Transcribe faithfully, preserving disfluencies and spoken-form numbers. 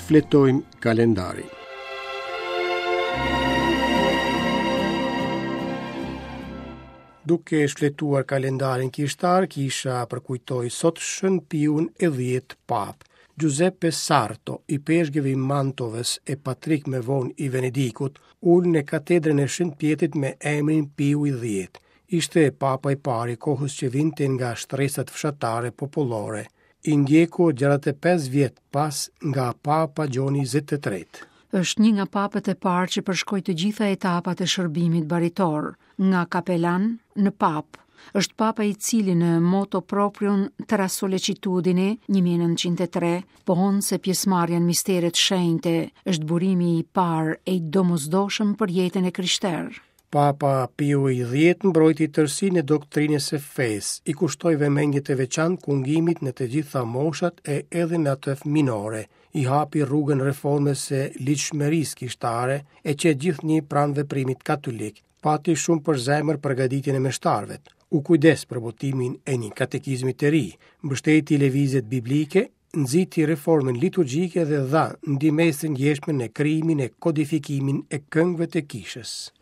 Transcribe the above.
Shfletojmë kalendarin. Duke shfletuar kalendarin kishtar, kisha përkujtoi sot Shën Piun e dhjetë Papë. Giuseppe Sarto, ipeshkëv i Mantovës e patrik më vonë i Venedikut, ul në katedrën e Shën Pjetrit me emrin Piu i dhjetë. Ishte papa i parë i kohës që vinte nga shtresat fshatare popullore, i ndjekur gjashtëdhjetë e pesë vjet pas nga Papa Gjoni njëzet e tretë. Është një nga papët e parë që përshkoi të gjitha etapat e shërbimit baritor, nga kapelan në papë. Është papa i cili në moto proprium tra sollecitudine një mijë e nëntëqind e tre pohon se pjesëmarrja në misteret shenjte është burimi i parë e i domosdoshëm për jetën e krishterë. Papa Piu i dhjetë mbrojti tërësinë e doktrinës së fesë, i kushtoi vëmendje të veçantë kungimit në të gjitha moshat e edhe në atë fëminore, i hapi rrugën reformës së ligjshmërisë kishtare e që gjithnjë pranë veprimit katolik, pati shumë për zemër përgatitjen e meshtarëve, u kujdes për botimin e një katekizmi të ri, mbështeti lëvizjet biblike, nxiti reformën liturgjike dhe dha ndihmesë të ndjeshme në krijimin e kodifikimin e këngëve të kishës.